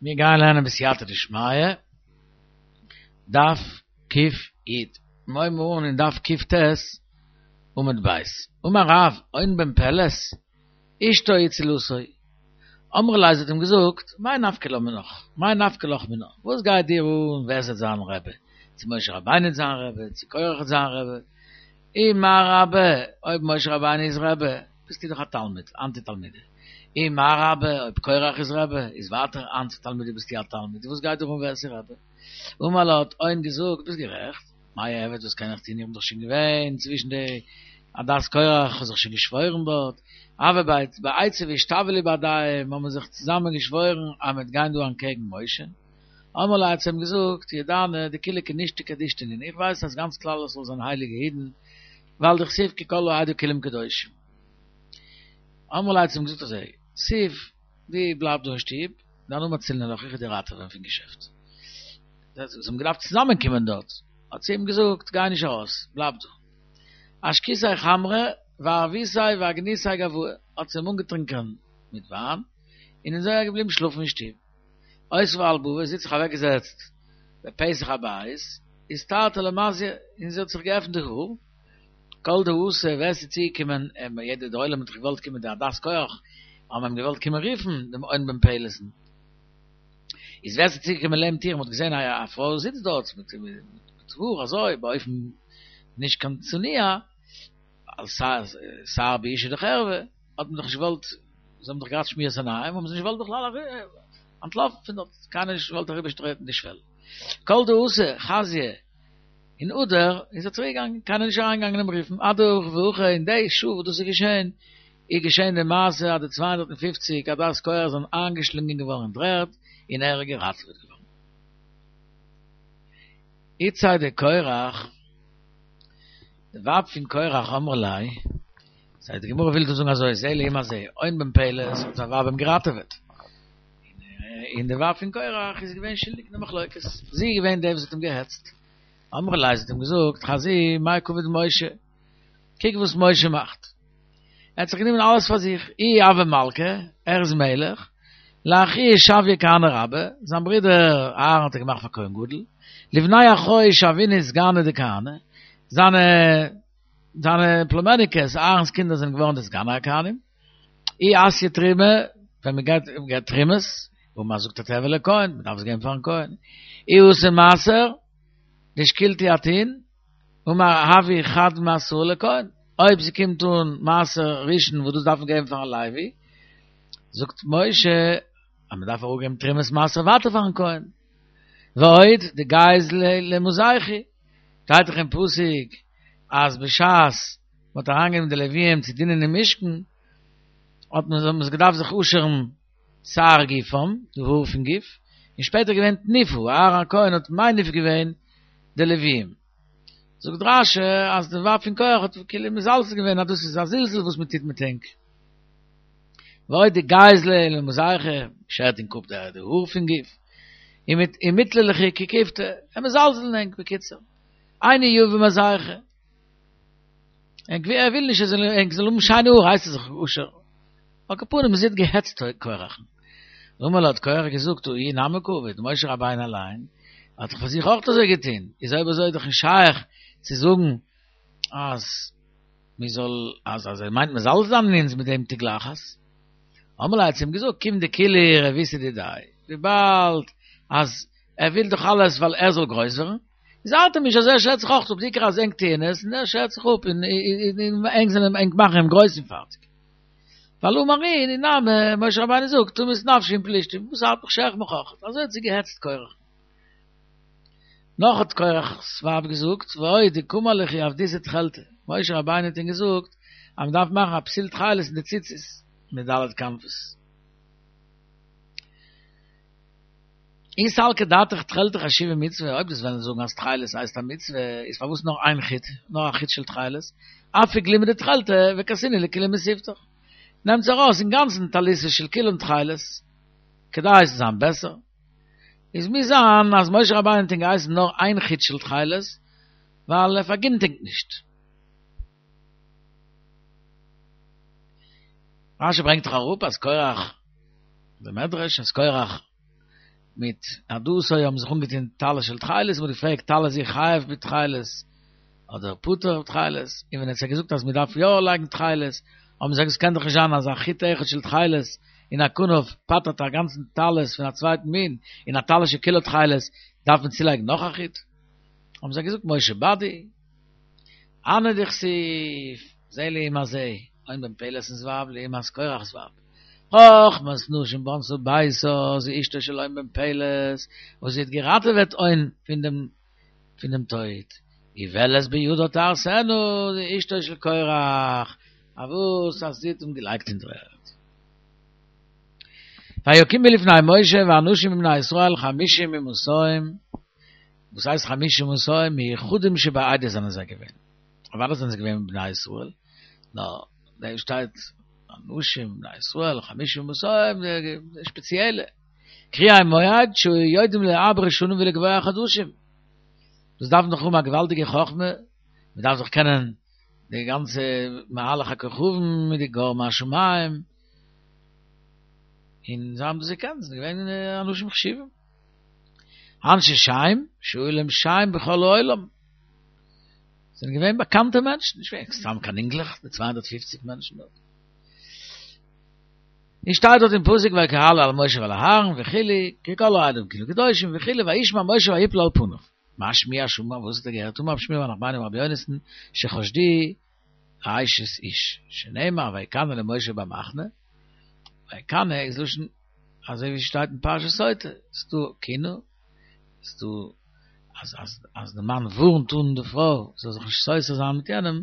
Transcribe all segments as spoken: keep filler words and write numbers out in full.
מיר גייען לערנען בסייעתא דשמיא, דף ק"י. מיר הייבן אן אין דף ק"ט עמוד ב'. אמר רב, און בן פלת, אשתו הצילתו. אמרה ליה, זי האט אים געזאגט, מאי נפקא לה מינך? מאי נפקא לך מינה? וואס גייט דיר אן ווער ס'וועט זיין רבי? צו משה רבינו וועט זיין רבי, צו קורח וועט זיין רבי? אי מר רבי, אויב משה רבינו איז רבי, ביסטו דאך א תלמיד, אנת תלמידא. אי מר רבי, אויב קורח איז רבי, איז ווייטער אנת תלמידא ביסטו א תלמיד, וואס גייט דיר אן ווער ס'איז רבי? אמר לה האט און געזאגט, ביסט גערעכט, מאי אעביד וואס קען איך טון, איך בין דאך שוין געווען צווישן די עדת קורח, איך האב זיך שוין געשוואוירן דארט, הוו בעצה ואשתווי לי בהדייהו, האבן מיר זיך צוזאמען געשוואוירן אז מ'וועט גיין דא אנטקעגן משה. אמרה ליה האט זי אים געזאגט, ידענא דכולהו כנישתא קדישא נינהו, איך ווייס אז גאנץ כלל ישראל זענען הייליגע אידן, ווייל דכתיב כי כל העדה כולם קדושים. אמרה ליה האט זי אים געזאגט אזוי, תיב, דו בלייב דא אין שטוב, דאנא מצילנא לך, איך וועל דיר ראטעווען פון געשעפט. זיי האבן געדארפט צוזאמען קומען דארט, האט זי אים געזאגט, גיי נישט ארויס, בלייב דא. אשקיתיה חמרא וערביתיה ואגניתיה גואי, האט זי אים אנגעטרינקען מיט וויין, און אזוי איז ער געבליבן שלאפן אין שטוב. אותבה על בבא, זי האט זיך אוועקגעזעצט בפתח הבית, אסתרתא למזייה, און זי האט זיך געעפנט די האר, כל דאתא, ווער ס'איז צוגעקומען, יעדער דער עולם האט דאך געוואלט קומען די עדת קורח, האבן אים געוואלט קומען רופן דעם און בן פלת'ן, איז ווער ס'איז צוגעקומען לעבן טיר און מ'האט געזען א פרוי זיצט דארט מיט האר אזוי באופן נישט קיין צנוע, שער באשה דחרבה, האט מען דאך נישט געוואלט, זיי האבן דאך געהאט שמירת עיניים, האבן זיי נישט געוואלט בכלל אנטלאפן פון דארט, קיינער נישט געוואלט אריבערטרעטן די שוועל. כל דאתא חזייה און הדר איז ער צוריק געגאנגען, קיינער נישט אריינגעגאנגען אים רופן, אדהכי והכי אין די שעה וואס דאס איז געשען, איז געשען די מעשה אז די צוויי הונדערט און פֿופֿציק עדת קורח זענען איינגעשלינגען געווארן אין דר'ערד און ער איז געראטעוועט געווארן. איתתיה דקורח, די ווייב פון קורח אמרה ליה, זיי די גמרא וויל דא זאגן אזוי, זה לעומת זה, און בן פלת האט זיין ווייב אים געראטעוועט, און די ווייב פון קורח איז געווען שולדיג אין די מחלוקת, זי איז געווען די וואס האט אים געהעצט, אמרה ליה זי האט אים געזאגט, חזי מאי קעביד משה, קוק וואס משה מאכט, ער האט זיך גענומען אלעס פאר זיך, איהו הוה מלכא, ער איז מלך, לאחוהי שוייה כהנא רבא, זיין ברודער אהרן האט ער געמאכט פאר כהן גדול, לבני אחוהי שוינהו סגני דכהני, זיינע זיינע פלומעניקעס, אהרן'ס קינדער זענען געווארן די סגני הכהנים, אי אתיא תרומה, ווען מען גייט געבט תרומות, אמר זאגט ער תיהוי לכהן, מען דארף עס געבן פארן כהן, אי אתא מעשר, דשקילתו אתון, אמר הבו חד מעשרה לכהן, אויב ס'קומט אן מעשר ראשון וואס דאס דארף מען געבן פארן לוי, זאגט משה אז מען דארף אראפגעבן תרומת מעשר ווייטער פארן כהן, ועוד דגייז להו למזיכו, שטייט דאך אין פסוק אז בשעת מען האט אריינגענומען די לוויים צו דינען אין משכן, האט מען זיי געדארפט זיך אפשערן שער גופם, די האר פון גוף, און שפעטער געווען תנופה, אהרן הכהן האט מניף געווען די לוויים. זאגט רש"י אז די ווייב פון קורח האט כאילו מזלזל געווען אז דאס איז א זלזול וואס מען טוט מיט ענק. ועוד דגייז להו למזיכו, שערט ענק אפ די האר פון גוף, ומיטלא לכו ככיפתא, ער מזלזל אין ענק בקיצור. אינו יביא מזיכו. ער וויל נישט אז ענק זאלן האבן שיינע האר הייסט ער זיך אפשערן. על כל פנים זי האט געהעצט קורח'ן. אמר לה האט קורח געזאגט הא איהו נמי קעביד, משה רבינו אליין האט דאך פאר זיך אויך אזוי געטון, איז אויב אזוי איז דאך נישט שייך צו זאגן אז מען זאל אז אז ער מיינט מזלזל זיין אין אונז מיט דעם תגלחת. אמרה ליה האט זי אים געזאגט כיון דכולהו רבותא דידיה, וויבאלד אז ער וויל דאך אלעס ווייל ער זאל גרויס ווערן, איז ארט אים נישט אז ער שערט זיך אויך אפ, די עיקר אז ענק טוען עס און ער שערט זיך אפ און ענק זענען ענק מאכן אים גרויס און פארטיג. ווייל אמר אינהו נמי, משה רבינו זאגט תמות נפשי עם פלישתים, וואס ארט מיך שער איך מיך אויך, אזוי האט זי געהעצט קורח. נאך האט קורח'ס ווייב געזאגט, ועוד דקאמר לכו עבדיתו תכלתא, משה רבינו האט ענק געזאגט אז מען דארף מאכן א פתיל תכלת אין די ציצית מיט ד' כנפות. אי סלקא דעתך תכלתא חשיבי מצוה, אויב דו'סט וועלן זאגן אז תכלת הייסט א מצוה, איז פארוואס נאר איין חוט, נאר א חוט של תכלת? אפיק גלימא דתכלתא וכסינהו לכוליה מתיבתך. נעמטס ארויס אינגאנצן טליתא של כולם תכלת, כדי עס זאל זיין בעסער. איז מוז זיין אז משה רבינו האט ענק געהייסן נאר איין חוט של תכלת, ווייל ער פארגינט ענק נישט. רשי ברענגט דאך אראפ אז קורח, די מדרש אז קורח מיט עדתו האבן זיך אנגעטון טלית של תכלת, מ'האט געפרעגט טלית איז חייב בתכלת אדער פטור בתכלת, און ווען ער האט זיי געזאגט אז מ'דארף יא לייגן תכלת, האבן זיי געזאגט ס'קען דאך נישט זיין אז א חוט אחד של תכלת אין א כנף פטר'ט א גאנצן טלית פון א צווייטן מין, און א טלית שכולו תכלת דארף מען צולייגן נאך א חוט. האבן זיי געזאגט משה באדי, הני דכתיב, זה לעומת זה, און בן פלת'נס ווייב לעומת קורח'ס ווייב. חכמת נשים בנתה ביתה, זו אשתו של און בן פלת, וואס זי האט געראטעוועט און פון דעם פון דעם טויט. גובלת בידה תהרסנה, זו אשתו של קורח, אויף וואס אז זי האט אים געלייגט אין דר'ערד. ויקימו לפני משה ואנשים מבני ישראל חמישים ומאתים, וואס הייסט חמישים ומאתים? מיוחדים שבעדה זענען זיי געווען. אוודאי זענען זיי געווען בני ישראל, נאר דא שטייט אנשים מבני ישראל חמישים ומאתים, די שפעציעלע. קריאי מועד שהיו יודעים לעבר שנים ולקבוע חדשים. דאס דארף מען דאך האבן א געוואלדיגע חכמה, מען דארף דאך קענען די גאנצע מהלך הכוכבים מיט די גורמי השמים, און זיי האבן דאס געקענט, זיי זענען געווען אנשים חשובים. אנשי שם, שהיו להם שם בכל העולם. זענען געווען באקאנטע מענטשן, נישט געווען סתם קיין אינגלעך, די צוויי הונדערט פֿופֿציק מענטשן דארט. און שטייט דארט אין פסוק ויקהלו על משה ועל אהרן וכו', כי כל העדה כולם קדושים וכו', וישמע משה ויפל על פניו. מה שמועה שמע, וואס האט ער געהערט? אמר רב שמואל בר נחמני אמר רבי יונתן, שחשדוהו אשת איש, שנאמר ויקנא למשה במחנה, ויקנא איז לשון אזוי ווי שטייט אין פרשת סוטה, ס'דא קינוי, ס'דא אז אז אז די מאן ווארנט אן די פרוי זאל זיך נישט סותר זיין מיט יענעם,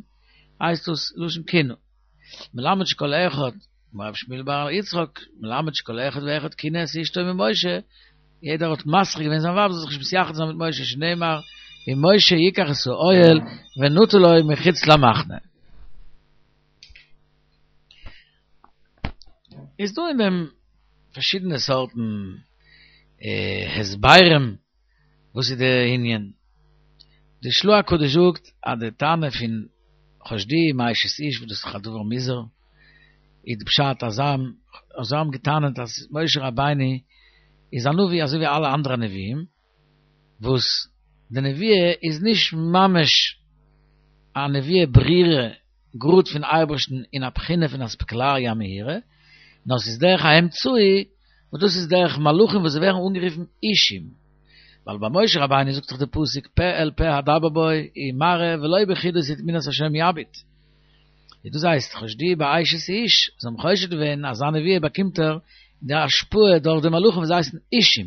הייסט דאס לשון קינוי. מלמד שכל אחד, אמר רב שמואל בר יצחק, מלמד שכל אחד ואחד קינא את אשתו ממשה, יעדער האט מזכיר געווען זיין ווייב זאל זיך נישט מתייחד זיין מיט משה, שנאמר ומשה יקח את האוהל ונטה לו מחוץ למחנה. איז דא אין דעם פארשידענע סארטן הסברים וואס איז די ענין. די של"ה הקדוש זאגט אז די טענה פון חשדוהו מאשת איש וואס דאס איז דאך א דבר מוזר, איז די פשט אז זיי האבן געטענה'ט אז משה רבינו איז א נביא אזוי ווי אלע אנדערע נביאים, וואס די נביאה איז נישט ממש א נביאה ברורה גראד פון אייבערשטן אין א בחינה פון אספקלריא המאירה, נאר ס'איז דרך האמצעי, וואס דאס איז דרך מלאכים וואס זיי ווערן אנגערופן אישים. ווייל ביי משה רבינו זאגט דאך די פסוק פה אל פה אדבר בו ומראה ולא בחידות ותמונת השם יביט. איז דאס הייסט חשדוהו באשת איש, זיי האבן חושד געווען אז זיין נביאה באקומט ער די השפעה דורך די מלאכים וואס הייסן אישים.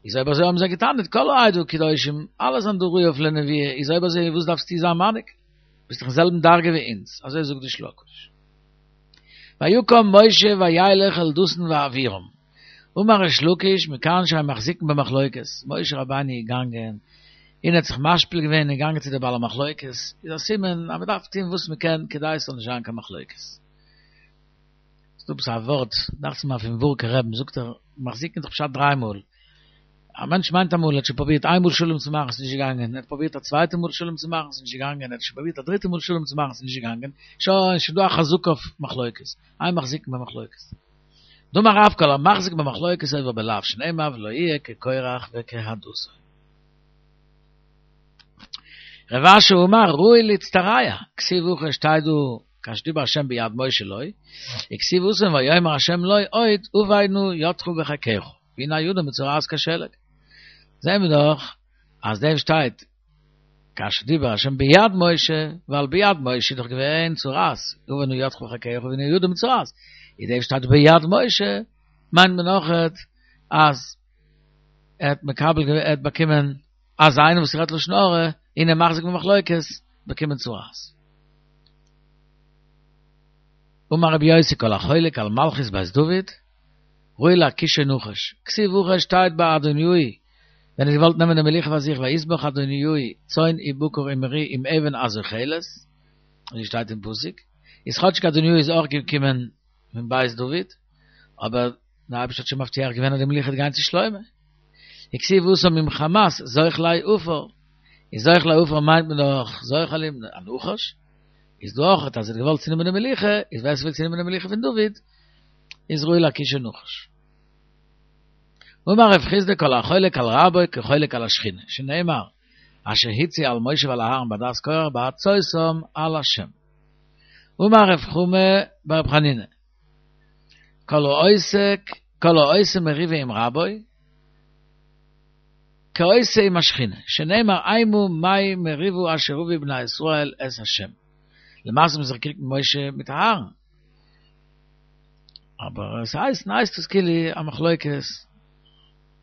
איז אויב אזוי האבן זיי געטענה'ט כל העדה קדושים, אלע זענען דא ראוי אויף לנביאה, איז אויב אזוי וואס דארפסטו זיין מנהיג? ביסט דאך אין זעלבן דרגה ווי אונז, אזוי זאגט די של"ה הקדוש. ויקם משה וילך אל דתן ואבירם. אמר ריש לקיש מכאן שהיו מחזיקין במחלוקת, משה רבינו איז געגאנגען און האט זיך משפיל געווען און געגאנגען צו די בעלי מחלוקת, איז א סימן אז מען דארף טון וואס מען קען כדי עס זאל נישט זיין קיין מחלוקת. ס'דא עפעס א ווארט, דאכט זיך מיר פון ווארקער רבי'ן, זאגט ער, מחזיקין איז דאך פשט דריי מאל. א מענטש מיינט אמאל ער האט שוין פרובירט איין מאל שלום צו מאכן ס'איז נישט געגאנגען, ער האט פרובירט א צווייטע מאל שלום צו מאכן ס'איז נישט געגאנגען, ער האט שוין פרובירט א דריטע מאל שלום צו מאכן ס'איז נישט געגאנגען, שוין, שוין דא א חזקה אויף מחלוקת, אין מחזיקין במחלוקת. דאמר רב כל המחזיק במחלוקת עובר בלאו שנאמר ולא יהיה כקורח וכעדתו. רב אשי אמר ראוי להצטרע, כתיב הכא שטייט דא כאשר דיבר השם ביד משה לו, וכתיב התם ויאמר השם לו עוד הבא נא ידך בחיקך, והנה ידו מצורעת כשלג. זעהן מיר דאך אז דעם שטייט כאשר דיבר השם ביד משה, ווייל ביד משה איז דאך געווען צרעת, הבא נא ידך בחיקך והנה ידו מצורעת, איז דעם שטייט ביד משה, מיינט מען אויכעט אז ער האט מקבל געווען, ער האט באקומען אז איינער וואס רעדט לשון הרע און ער מחזיק במחלוקת באקומען צרעת. אמר רבי יוסי כל החולק על מלכות בית דוד ראוי להכישו נחש, כתיב הכא שטייט ביי אדוניהו ווען ער האט געוואלט נעמען די מלוכה פאר זיך ויזבח אדוניהו צאן ובקר ומריא עם אבן הזוחלת, אזוי שטייט אין פסוק, איז כאטשיג אדוניהו איז אויך געקומען פון בית דוד, אבער דער אייבערשטער האט שוין מבטיח געווען אז די מלוכה וועט גיין צו שלמה. וכתיב התם עם חמת זוחלי עפר, איז זוחלי עפר מיינט מען דאך זוחלים, א נחש, איז דא אויך אז ער האט געוואלט צונעמען די מלוכה, איז ווער ס'וויל צונעמען די מלוכה פון דוד, איז ראוי להכישו נחש. אמר רב חסדא כל החולק על רבו כחולק על השכינה, שנאמר, אשר הצי על משה ועל אהרן בעדת קורח בהצותם על השם. אמר רב חמא בר חנינא, כל העוסק, כל העושה מריבה עם רבו, כעושה עם השכינה, שנאמר אימו מי מריבו אשר רבי בני ישראל את השם. למעשה האבן זיך געקריגט מיט משה מיט אהרן. אבער עס הייסט, הייסט עס כאילו א מחלוקת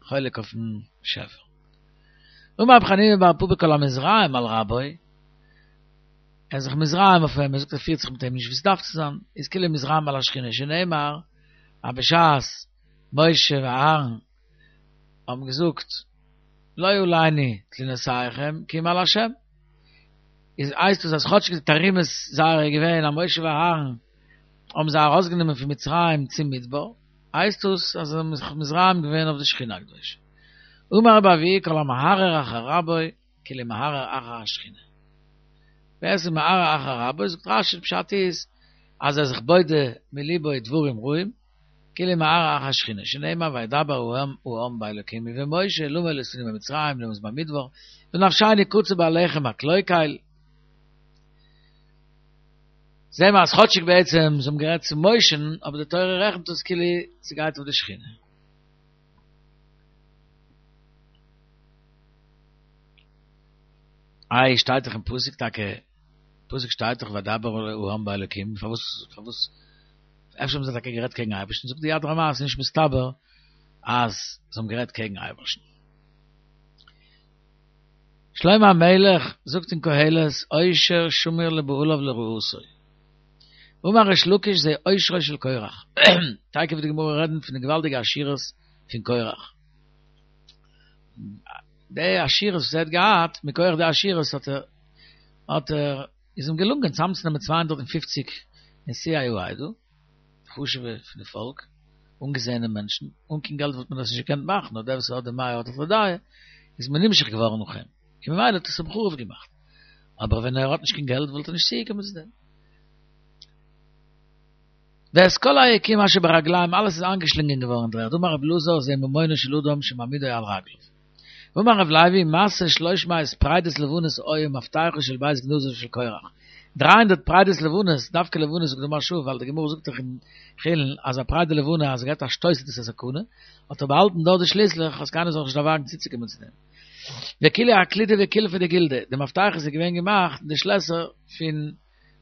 חולק אויפן באשעפער. אמר רב חנינא בר פפא כל המתרעם על רבו, ער איז זיך מתרעם אויף אים, ער זאגט ער פירט זיך מיט אים נישט ווי עס דארף צו זיין, איז כאילו מתרעם על השכינה, שנאמר אז בשעת משה ואהרן האבן געזאגט לא עלינו תלונותיכם כי אם על השם, איז הייסט עס אז כאטשיג די תרעומות זייערע איז געווען אז משה ואהרן האבן זיי ארויסגענומען פון מצרים צום מדבר, הייסט עס אז זיי האבן זיך מתרעם געווען אויף די שכינה הקדושה. אמר רבי אבהו כל המהרהר אחר רבו כאילו מהרהר אחר השכינה. ווער עס איז מהרהר אחר רבו, זאגט רשי פשט איז אז ער איז זיך בודה מליבו דברים רעים, כאילו מהרהר אחר השכינה, שנאמר וידבר העם באלוקים ובמשה למה העליתנו ממצרים למות במדבר, ונפשנו קצה בלחם הקלוקל. זעהן מיר אז כאטשיג בעצם זיי האבן גערעדט צו משה'ן, אבער די תורה רעכנט עס כאילו ס'גייט אויף די שכינה. איי שטייט דאך אין פסוק טאקע, פסוק שטייט דאך וידבר העם באלוקים, פארוואס פארוואס אפשר האבן זיי טאקע גערעדט קעגן אייבערשטן, זאגט די יד רמה אז ס'איז נישט מסתבר אז זיי האבן גערעדט קעגן אייבערשטן. שלמה המלך זאגט אין קהלת עושר שמור לבעליו לרעתו. אמר ריש לקיש זה עושרו של קורח. תיכף וועט די גמרא רעדן פון די געוואלדיגע עשירות פון קורח. די עשירות וואס ער האט געהאט, מכח די עשירות האט ער האט ער איז אים געלונגען צוזאמצונעמען צוויי הונדערט און פֿופֿציק נשיאי העדה, חשוב'ע פון די פאלק, אנגעזעענע מענטשן, אן קיין געלט וואלט מען דאס נישט געקענט מאכן, נאר דער וואס האט די מאה האט די דעה, איז מען נמשך געווארן נאך אים, און ממילא האט עס אים חרוב געמאכט. אבער ווען ער האט נישט קיין געלט וואלט ער נישט צוגעקומען צו דעם. ואת כל היקום אשר ברגליהם, אלעס איז איינגעשלינגען געווארן אין דר'ערד, אמר רב אלעזר זה ממונו של אדם שמעמידו על רגליו. ואמר רב לוי, משא שלוש מאות פרדות לבנות היו מפתחו של בית גנזיו של קורח. דרײַ הונדערט פרדות לבנות, דווקא לבנות זאגט די מהרש"א, ווייל די גמרא זאגט דאך אין חולין אז א פרדה לבנה אז עס געבט א שטויס איז דאס א סכנה, האט ער באהאלטן דארט די שליסלעך אז קיינער זאל זיך נישט דערוואגן צוצוקומען צו דעם. וכולהו אקלידא וקולפא דגלדא, די מפתחות איז געווען געמאכט די שלעסער פון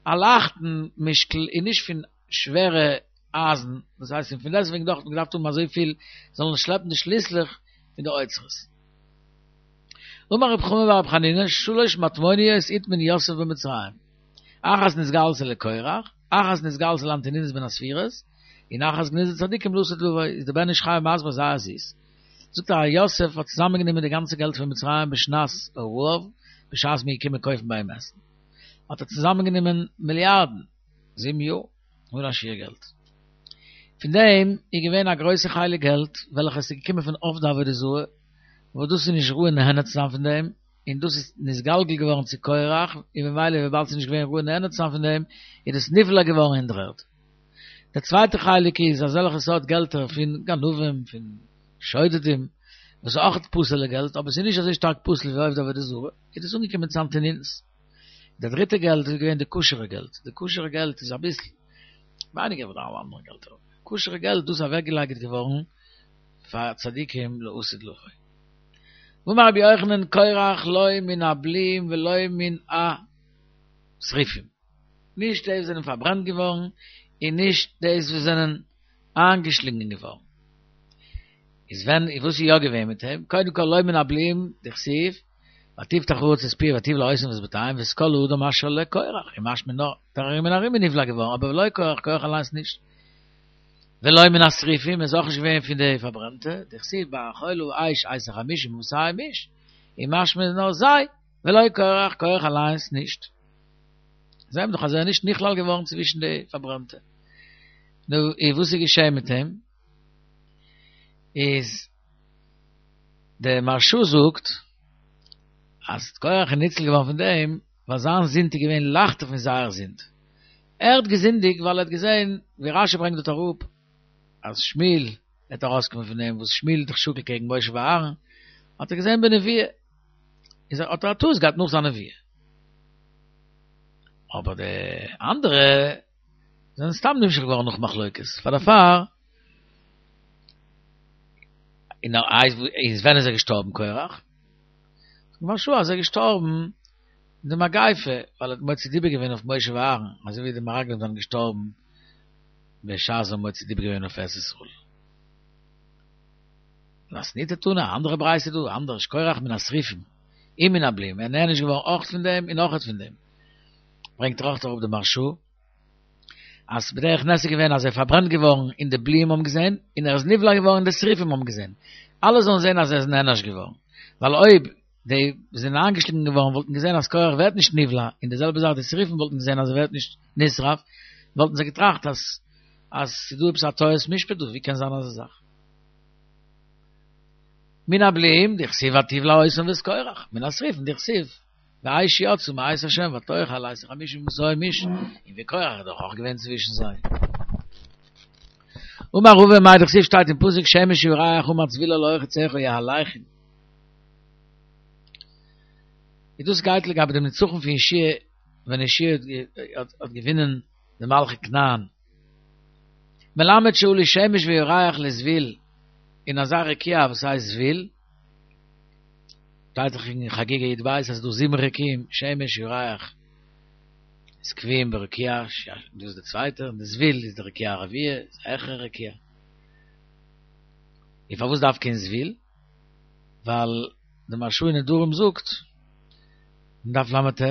א לייכטן משקל און נישט פון שווערע אייזן, דאס הייסט און פון דעסטוועגן דאך האט מען געדארפט האבן אזויפיל זאלן שלעפן די שליסלעך פון די אוצרות. אמר רב חמא בר רב חנינא, שלש מטמוניות הטמין יוסף במצרים, אחת נתגלתה לקורח, אחת נתגלתה לאנטונינוס בן הספירות, און אחת גנוזה לצדיקים לעתיד לבוא, איז דער בן איש חי מסביר זייער זיס. זאגט ער אז יוסף האט צוזאמען גענומען די גאנצע געלט פון מצרים בשנת הרעב, בשעת מ'איז געקומען קויפן ביי אים עסן, האט ער צוזאמען גענומען מיליארדן, זיבן יאר, אן א שיעור געלט. פון דעם איז געווען א גרויסע חלק געלט וועלכע עס איז געקומען פון עובדי עבודה זרה, וואס דאס איז נישט ראוי נהנה צו זיין פון דעם, און דאס איז נתגלגל געווארן צו קורח, און ממילא וויבאלד ס'איז נישט געווען ראוי נהנה צו זיין פון דעם, איז דאס נבלע געווארן אין דר'ערד. דער צווייטער חלק איז אזעלכע סארט געלטער פון גנבים, פון שודדים, וואס איז אויך פסול'ע געלט, אבער ס'איז נישט אזוי שטארק פסול ווי עובדי עבודה זרה, איז דאס אנגעקומען צו אנטונינוס. די דריטע געלט איז געווען די כשר'ע געלט, די כשר'ע געלט איז אביסל ווייניגער ווי די אלע אנדערע געלטער, כשר'ע געלט דאס איז אוועקגעלייגט געווארן פאר צדיקים לעתיד לבוא. ואמר רבי יוחנן קורח לא מן הבלועים ולא מן השרופים, נישט די וואס זענען פארברענט געווארן און נישט די וואס זענען איינגעשלינגען געווארן. איז ווען וואס איז יא געווען מיט אים? קודם כל לא מן הבלועים דכתיב ותפתח הארץ את פיה ותבלע אותם ואת בתיהם ואת כל האדם אשר לקורח, און משמע נאר דער ארום און ארום איז נבלע געווארן אבער ולא קורח, קורח אליינס נישט. ולא מן השרופים איז אויך נישט געווען פון די פארברענטע, דכתיב באכלה האש את החמישים ומאתים איש, און משמע איז נאר זיי, ולא קורח, קורח אליינס נישט. זעהן מיר דאך אז ער איז נישט נכלל געווארן צווישן די פארברענטע. נו, און וואס איז געשעהן מיט אים? איז דער מהרש"א זאגט אז קורח איז ניצל געווארן פון דעם ווייל זיין זינד איז געווען לייכטער פון זייער זינד. ער האט געזינדיגט ווייל ער האט געזען, ווי רש"י ברענגט דארט אראפ, אז שמואל וועט ארויסקומען פון דעם וואס שמואל האט דאך שקול קעגן משה ואהרן, האט ער געזען בנביאה, איז ער האט ער א טעות געהאט נאך זיין נביאה. אבער די אנדערע זענען סתם נמשך געווארן נאך מחלוקת, פאר דערפאר און איז ווען איז ער געשטארבן קורח? זאגט מהרש"א אז ער איז געשטארבן אין די מגיפה ווייל ער האט מוציא דיבה געווען אויף משה ואהרן, אזוי ווי די מרגלים זענען געשטארבן בשעת זיי האבן מוציא דיבה געווען אויף ארץ ישראל. מתניתא תנא, א אנדערע ברייתא דא, אנדערש, קורח מן השריפים, ומן הבלועים, ער איז נענש געווארן אויך פון דעם און אויך פון דעם. ברענגט ער אויך אראפ די מהרש"א, אז בדרך נס איז געווען אז ער איז פארברענט געווארן און די בלועים האבן געזען, און ער איז נבלע געווארן און די שריפים האבן געזען. אלע זאלן זען אז ער איז נענש געווארן. ווייל אויב די וואס זענען איינגעשלינגען געווארן וואלטן געזען אז קורח ווערט נישט נבלע, און די זעלבע זאך די שריפים וואלטן געזען אז ער ווערט נישט נשרף, וואלטן זיי געטראכט אז אז ס'איז דא עפעס א טעות משפט דא, ווי קען זיין אזא זאך? מן הבלועים דכתיב ותבלע אותם ואת קורח, מן השריפים דכתיב ואש יצאה מאת ה' ותאכל את חמישים ומאתים איש, און וקורח איז דאך אויך געווען צווישן זיי. אמר רבא מאי דכתיב שטייט אין פסוק שמש וירח אמר זבול על לאור חציך יהלכון. איז דאס גייט לגבי דעם נצחון פון יהושע ווען יהושע האט געווינען די מלכי כנען. מלמד שעלו שמש וירח לזבול אין אזא רקיע וואס הייסט זבול, שטייט דאך אין חגיגה י"ב אז ס'איז דא זיבן רקיעים, שמש, ירח, איז קבועים ברקיע, דאס איז די צווייטע, און די זבול איז די רקיע הרביעי, איז א העכערע רקיע. און פארוואס דווקא אין זבול? ווייל די מהרש"א אין נדרים זאגט, אין דף ל"ט,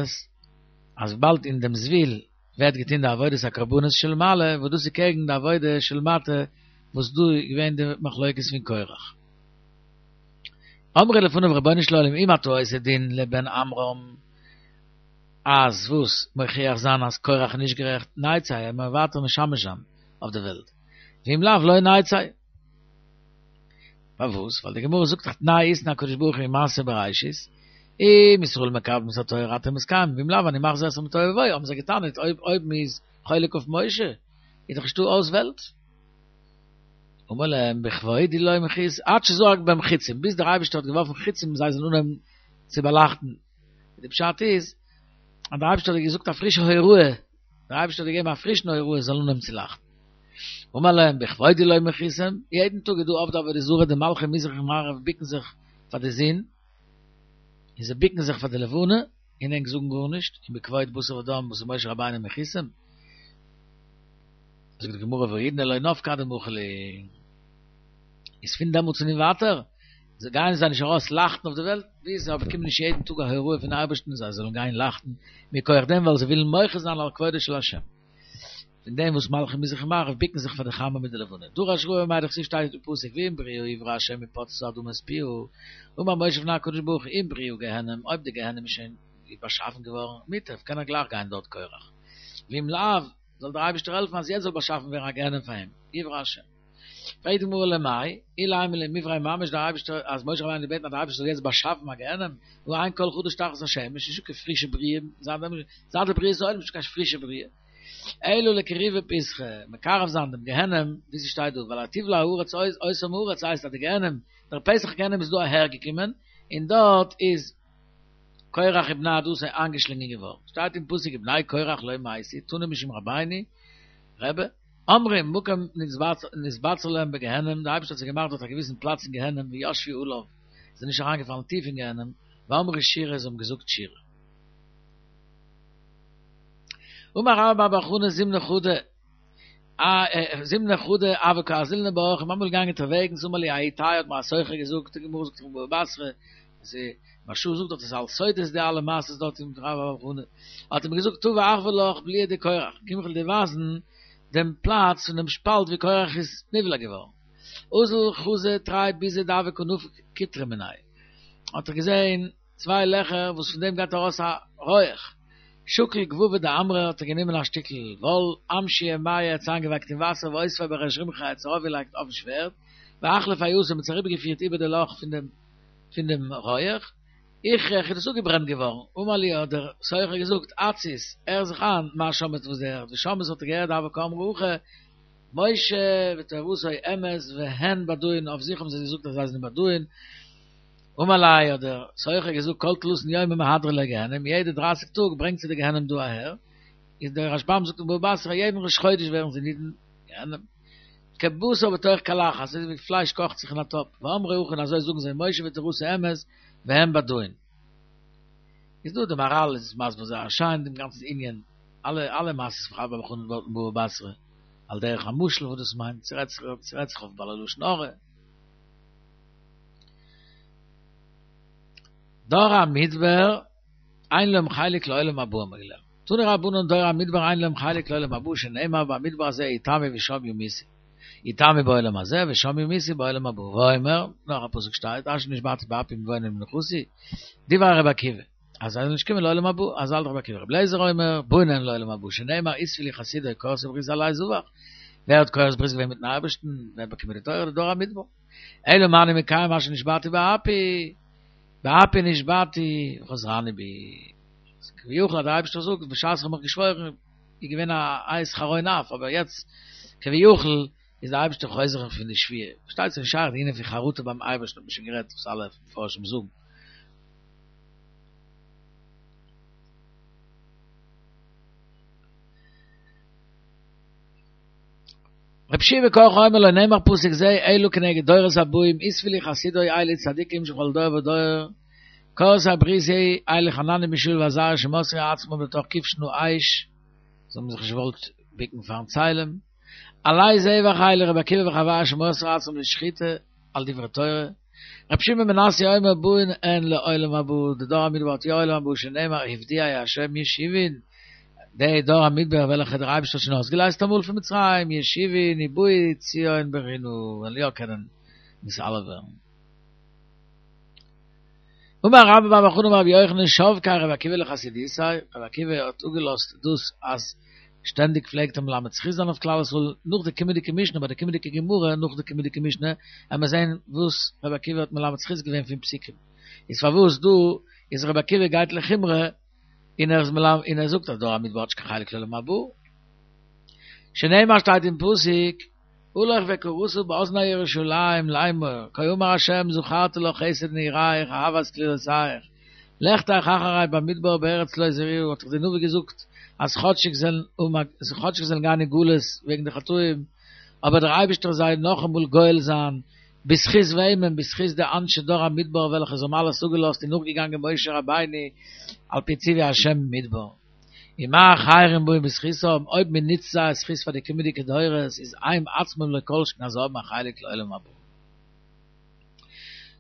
אז וויבאלד אין דעם זבול ווערט געטון די עבודת הקרבנות של מעלה, וואס דאס איז קעגן די עבודה של מטה וואס דא איז געווען די מחלוקת פון קורח. אמרו לפניו רבונו של עולם אם אתה עושה דין לבן עמרם, אז וואס מוכיח זיין אז קורח איז נישט גערעכט, נצא, ער מען ווייטער משמש זיין אויף די וועלט, ואם לאו לא נצא. פארוואס? ווייל די גמרא זאגט דאך תנאי התנה הקדוש ברוך הוא אין מעשה בראשית, אם ישראל מקבלים את התורה אתם מתקיימים, ואם לאו אני מחזיר אתכם לתוהו ובוהו, האבן זיי געטענה'ט אויב אויב מ'איז חולק אויף משה איז דאך נישטא אויס וועלט. אמר להם בכבודי לא מחית עד שזרק בהם חיצים, ביז דער אייבערשטער האט געווארפן חיצים זיי זאלן אנהויבן צו באלייכטן, די פשט איז אז דער אייבערשטער האט געזאגט א פרישע הוראה, דער אייבערשטער האט געגעבן א פרישן הוראה זיי זאלן אנהויבן צו לייכטן. אמר להם בכבודי לא מחיתם, יעדן טאג איז דא עובדי עבודה זרה די מלכי מזרח און מערב ביקן זיך פאר די זון, און זיי ביקן זיך פאר די לבנה, און ענק זאגן גארנישט, און בכבוד בשר ודם וואס איז משה רבינו מחיתם. זאגט די גמרא והאידנא לא נפקי עד דמחו להו, איז פון דעמאלטס און ווייטער זיי גייען זיי נישט ארויס לייכטן אויף די וועלט, ביז זיי באקומען נישט יעדן טאג א הוראה פון אייבערשטן זיי זאלן גיין לייכטן, מכח דעם ווייל זיי ווילן מוחה זיין על כבודו של השם, פון דעם וואס מלכי מזרח און מערב ביקן זיך פאר די חמה מיט די לבנה. דרש רבא מאי דכתיב שטייט אין פסוק ואם בריאה יברא השם ופצתה האדמה את פיה, אמר משה לפני הקדוש ברוך הוא אם בריאה גיהנם, אויב די גיהנם איז שוין באשאפן געווארן, מוטב, קען ער גלייך גיין דארט קורח, ואם לאו, זאל דער אייבערשטער העלפן אז יעצט זאל באשאפן ווערן א גיהנם פאר אים, יברא השם. פרעגט די גמרא למאי, אילימא למיברייה ממש דער אייבערשטער אז משה רבינו האט געבעטן אז דער אייבערשטער זאל יעצט באשאפן א גיהנם, והא אין כל חדש תחת השמש, נישטא קיין פרישע בריאה, זייט דעם זייט די בריאת העולם נישטא קיין פרישע בריאה, אלא לקרובי פתחא, מקרב זיין דעם גיהנם, ווי ס'שטייט דא, ווייל ותבלע הארץ אותם הארץ הייסט אז די גיהנם, דער פתח גיהנם איז דא אהער געקומען, און דארט איז קורח ובני עדתו איינגעשלינגען געווארן, שטייט אין פסוק ובני קורח לא מתו, תנא משום רבינו, רבי, אמרו מקום נתבצר להם בגיהנם, דער אייבערשטער האט זיי געמאכט דארט א געוויסן פלאץ אין גיהנם וישבו עליו, זיי זענען נישט אריינגעפאלן טיף אין גיהנם, ואמרו שירה, זיי האבן געזאגט שירה. אמר רבה בר בר חנה זימנא חדא, זימנא חדא הוה קא אזילנא באורחא, מ'איז אמאל געגאנגען אונטערוועגנס אמר לי ההוא טייעא האט מיר א סוחר געזאגט, די גמרא זאגט אין בבא בתרא, אז מהרש"א זאגט דארט עס איז אלס סודות די אלע מעשות דארט אין רבה בר בר חנה, האט ער מיר געזאגט תא ואחוי לך בליעא דקורח, קום איך וועל דיר ווייזן דעם פלאץ פון דעם שפאלט ווי קורח איז נבלע געווארן. אזל חזא תרי ביזי דהוה קא נפיק קיטרא מינייהו, האט ער געזען צוויי לעכער וואס פון דעם גייט ארויס א רויעך. שקל גבבא דעמרא האט ער גענומען א שטיקל וואל, אמשייה מיא ער האט עס איינגעווייקט אין וואסער ואותביה בריש רומחיה ער האט עס ארויפגעלייגט אויפן שווערד, ואחלפיה אתא מ'האט עס אריבערגעפירט איבער די לאך פון דעם פון דעם רויעך, איחריך איז דאס אפגעברענט געווארן, אמר לי האט דער סוחר געזאגט, אתסית, הער זיך איין, מה שמעית וואס דו הערסט, ושמעית האט ער געהערט דהוה קאמרי הכי, משה ותורתו אמת והן בדאין, אויף זיך האבן זיי געזאגט אז זיי זענען בדאין, אמר ליה האט דער סוחר געזאגט כל תלתין יומי מהדרי לגיהנום, יעדע דרייסיג טאג ברענגט זיי די גיהנום דא אהער, איז דער רשב"ם זאגט אין בבא בתרא יעדן ראש חודש ווערן זיי נידון גיהנום, כבשר בתוך קלחת, אזוי ווי פלייש קאכט זיך אין א טאפ, ואמרי הכי און אזוי זאגן זיי משה ותורתו אמת והם בדאין. איז דא די מהר"ל איז מסביר זייער שיין דעם גאנצן ענין, אלע אלע מעשות פון רבה בר בר חנה דארט אין בבא בתרא, על דרך המשל וואס דאס מיינט, ס'רעדט זיך ס'רעדט זיך אויף בעלי לשון הרע. דור המדבר אין להם חלק לעולם הבא האבן מיר געלערנט. תנו רבנן דור המדבר אין להם חלק לעולם הבא שנאמר במדבר הזה יתמו ושם ימותו. יתמו בעולם הזה ושם ימותו בעולם הבא. ואומר, נאך א פסוק שטייט, אשר נשבעתי באפי מבונן למנוחתי, דברי רבי עקיבא, אז זיי זאלן נישט קומען לעולם הבא, אזוי האלט רבי עקיבא. רבי אליעזר אומר, באין הן לעולם הבא, שנאמר אספו לי חסידי כרתי בריתי עלי זבח. ווער האט כורת ברית געווען מיטן אייבערשטן? ווער האט באקומען די תורה? די דור המדבר. אלא מה אני מקיים אשר נשבעתי באפי, באפי נשבעתי וחוזרני בי. כביכול אז דער אייבערשטער זאגט בשעת איך האב מיך געשוואוירן איז געווען א עת חרון אף, אבער יעצט כביכול איז דער אייבערשטער חוזר פון די שבועה. פארשטייט זיך נישט שייך די ענין פון חרטה ביים אייבערשטן האט מען שוין גערעדט וואס אלע מפרשים זאגן. רבי יהושע בן קרחה אומר לא נאמר פסוק זה אלא כנגד דורות הבאים אספו לי חסידי אלו צדיקים שבכל דור ודור כורתי בריתי אלו חנניה מישאל ועזריה שמסרו עצמם לתוך כבשן האש זיי האבן זיך נישט געוואלט ביקן פארן צלם עלי זבח אלו רבי עקיבא וחבריו שמסרו עצמם לשחיטה על דברי תורה רבי שמעון בן מנסיא אומר באין הן לעולם הבא, די דור המדבר האט יא עולם הבא שנאמר הפדיע ה' ישובון, די דור המדבר וועלכע דער אייבערשטער האט שוין אויסגעלייזט אמאל פון מצרים, ישובון ובאו ציון ברינה, וועלן יא קענען נתעלה ווערן. אמר רבה בר בר חנה אמר רבי יוחנן שבקה רבי עקיבא לחסידותיה, רבי עקיבא האט אפגעלאזט דאס אז שטענדיג פלעגט ער מלמד זכות זיין אויף כלל ישראל, נאך די קומענדיגע משנה, ביי די קומענדיגע גמרא, נאך די קומענדיגע משנה, עמער זען וואס רבי עקיבא האט מלמד זכות געווען פון פסוקים. איז פארוואס דא איז רבי עקיבא גייט לחומרא און ער איז מלמד און ער זאגט אז דור המדבר האט נישט קיין חלק לעולם הבא? שנאמר שטייט אין פסוק, הלוך וקראת באזני ירושלים לאמור, כה אמר ה' זכרתי לך חסד נעוריך אהבת כלולותיך, לכתך אחרי במדבר בארץ לא זרועה, האט דאך די נביא געזאגט אז כאטשיג זעלן כאטשיג זעלן גיין אין גלות וועגן די חטאים, אבער דער אייבערשטער זיי נאכאמאל גואל זיין, בזכות וועמען? בזכות די אנשי דור המדבר וועלכע זיי האבן אלעס אפגעלאזט און נאכגעגאנגען משה רבינו על פי ציווי ה' במדבר. ומה אחרים באים בזכותם, אויב מען נוצט זייער זכות פאר די קומענדיגע דורות איז הם עצמם לא כל שכן אז זיי האבן א חלק לעולם הבא.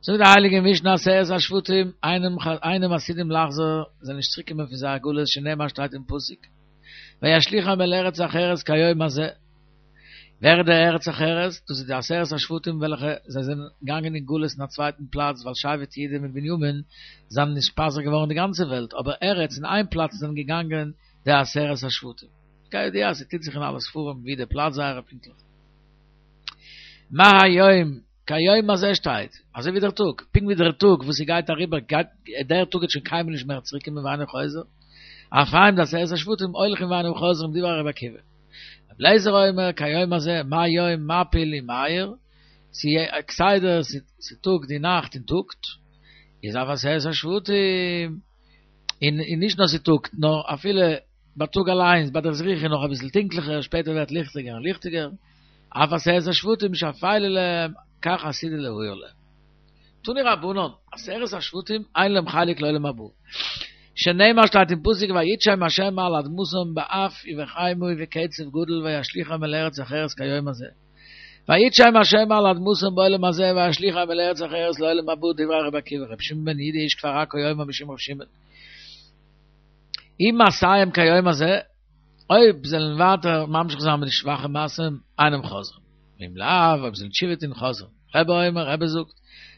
זאגט די הייליגע משנה עשרת השבטים אינם עתידים לחזור, זענען נישט צוריק קומען פון זייער גלות שנאמר שטייט אין פסוק וישליכם אל ארץ אחרת כהיום הזה, ווער איז דער ארץ אחרת? דאס איז די עשרת השבטים וועלכע זיי זענען געגאנגען אין גלות אין א צווייטן פלאץ ווייל שבט יהודה מיט בנימין זענען נתפזר געווארן אין די גאנצע וועלט אבער ארץ אין איין פלאץ זענען געגאנגען די עשרת השבטים. כידוע ס'טוט זיך אין אלע ספרים ווי די פלאץ זייערע פונקטליך. מה היום כהיום הזה שטייט, אזוי ווי דער טאג, פונקט ווי דער טאג וואס ס'גייט אריבער גייט דער טאג וועט שוין קיינמאל נישט מער צוריק קומען ואינו חוזר, אף הם די עשרת השבטים הולכים ואינם חוזרים דברי רבי עקיבא. רבי אליעזר אומר כהיום הזה מה יום מפיל ומאיר, ס'כסדר ס'טאגט די נאכט און טאגט, איז אף עשרת השבטים, און נישט נאר ס'טאגט נאר אפילו בייטאג אליינס ביי דער זריחה איז נאך אביסל טונקליכער, שפעטער ווערט ליכטיגער און ליכטיגער, אף עשרת השבטים שאפלה להם, כך עתידה להאיר להם. תנו רבנן, עשרת השבטים אין להם חלק לעולם הבא. שנאמר שטייט אין פסוק ויתשם ה' מעל אדמתם באף ובחמה ובקצף גדול וישליכם אל ארץ אחרת כהיום הזה. ויתשם ה' מעל אדמתם בעולם הזה וישליכם אל ארץ אחרת לעולם הבא דברי רבי עקיבא רבי שמעון בן יהודה איש כפר עכו אומר משום רבי שמעון. אם מעשיהם כהיום הזה, אויב זעלן ווייטער ממשיך זיין מיט די שוואכע מעשים, אינם חוזרים. ואם לאו, אויב זעלן תשובה טון, חוזרים. רבי אומר, רבי זאגט,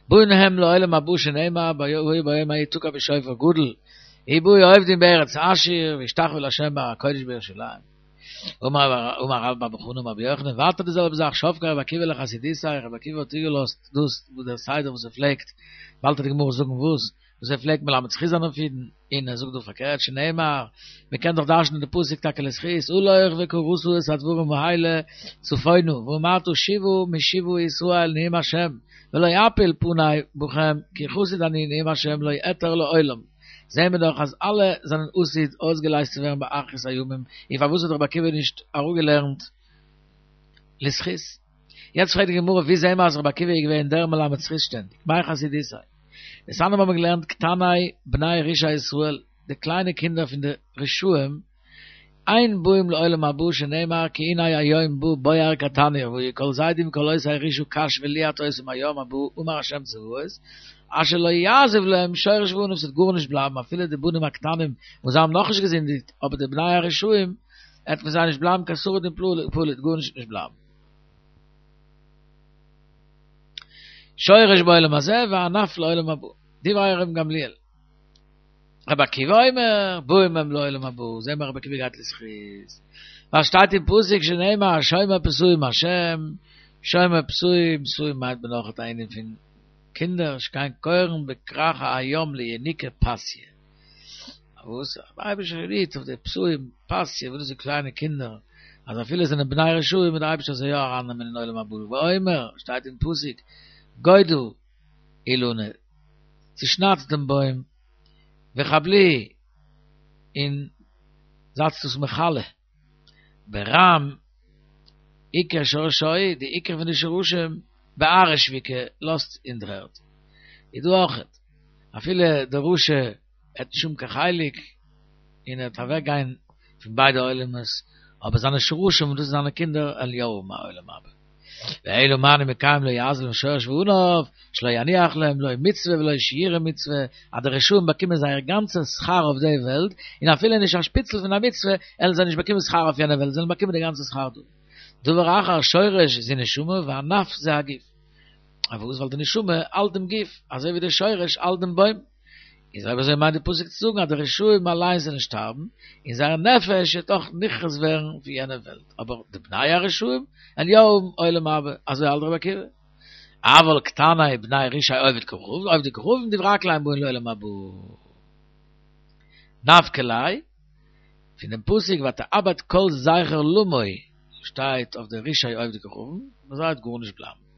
באין הם לעולם הבא שנאמר, והיה ביום ההוא יתקע בשופר גדול, ובאו האובדים מארץ אשור, והשתחוו לה' בהר הקודש בירושלים. אמר אמר רבה בר בר חנה אמר רבי יוחנן, ווייטער די זעלבע זאך, שבקה רבי עקיבא לחסידותיה, רבי עקיבא האט איבערגעלאזט דאס וואס דער סדר וואס ער פלעגט, באלד וועט די גמרא זאגן וואס, וואס ער פלעגט מלמד זכות זיין אויף אידן, און ער זאגט דא פארקערט שנאמר, מען קען דאך דרש'נען די פסוק טאקע לזכות, הלוך וקראת את הדברים האלה צפונה, ואמרת שובה משובה ישראל נאום השם, ולא אפיל פני בכם כי חסיד אני נאום השם לא אעתר לעולם. זעהן מיר דאך אז אלע זענען עתיד אויסגעלייזט צו ווערן באחרית הימים, און פארוואס האט רבי עקיבא נישט אראפגעלערנט לזכות? יעצט פרעגט די גמרא ווי זעהן מיר אז רבי עקיבא איז געווען דער מלמד זכות שטענדיג? מאי חסידותיה? דתניא מיר האבן געלערנט קטני בני רשעי ישראל, די קליינע קינדער פון די רשעים, אין באים לעולם הבא שנאמר כי הנה היום בא בוער כתנור והיו כל זדים וכל עושי רשעה קש וליעט אותם היום הבא אמר ה' צבאות אשר לא יעזוב להם שורש וענף ס'וועט גארנישט בלייבן אפילו די בנים הקטנים וואס זיי האבן נאכנישט געזינדיגט אבער די בני הרשעים עט פון זיי נישט בלייבן קיין שריד און פליט גארנישט וועט נישט בלייבן. שורש בעולם הזה וענף לעולם הבא דברי רבן גמליאל. רבי עקיבא אומר, באים הם לעולם הבא, זעהן מיר רבי עקיבא גייט לזכות. ווייל שטייט אין פסוק שנאמר שומר פתאים השם, שומר פתאים, פתאים מיינט מען אויך א ענין פון קינדער, שכן קורין בכרך הים לינוקא פתיא. וואס? דער אייבערשטער רוהט אויף די פתאים, פתיא, וואס דאס איז קליינע קינדער, אז אפילו זענען בני רשעים וועט דער אייבערשטער זיי יא ארייננעמען אין עולם הבא, ואומר, שטייט אין פסוק, גודע אילנא, צושניידט דעם בוים, וחבלוהו, און זייטס דאס מכלה, ברם עיקר שרשו, די עיקר פון די שרשים, בארעא שביקה, לאזט אין דר'ערד. איז דא אויכעט, אפילו דער רשע עט נישט האבן קיין חלק, און ער וועט אוועק גיין פון ביידע עולמות, אבער זיינע שרשים, וואס דאס איז זיינע קינדער, וועלן יא האבן א עולם הבא. ואלא מה אני מקיים לא יעזוב להם שורש וענף, שלא יניח להם לא מצוה ולא שיורי מצוה, אז די רשעים באקומען זייער גאנצע שכר אויף די וועלט, און אפילו נישט א שפיצל פון א מצוה, עלן זיי נישט באקומען שכר אויף יענע וועלט, זיי וועלן באקומען די גאנצע שכר דא. דבר אחר שורש זו נשמה וענף זה הגוף. פארוואס? ווייל די נשמה האלט דעם גוף, אזוי ווי די שורש האלט דעם בוים. איז אויב אזוי מיינט די פסוק צו זאגן אז די רשעים אליין זענען שטארבן, און זייער נפש וועט אויך נכרת ווערן פון יענע וועלט, אבער די בני הרשעים וועלן יא האבן עולם הבא, אזוי האלט רבי עקיבא. אבל קטני בני רשעי עובד כוכבים, עובדי כוכבים דברי הכל אין באין לעולם הבא. נפקא ליה, פון דעם פסוק ותאבד כל זכר למו שטייט אויף די רשעי עובדי כוכבים, ביי זיי וועט גארנישט בלייבן.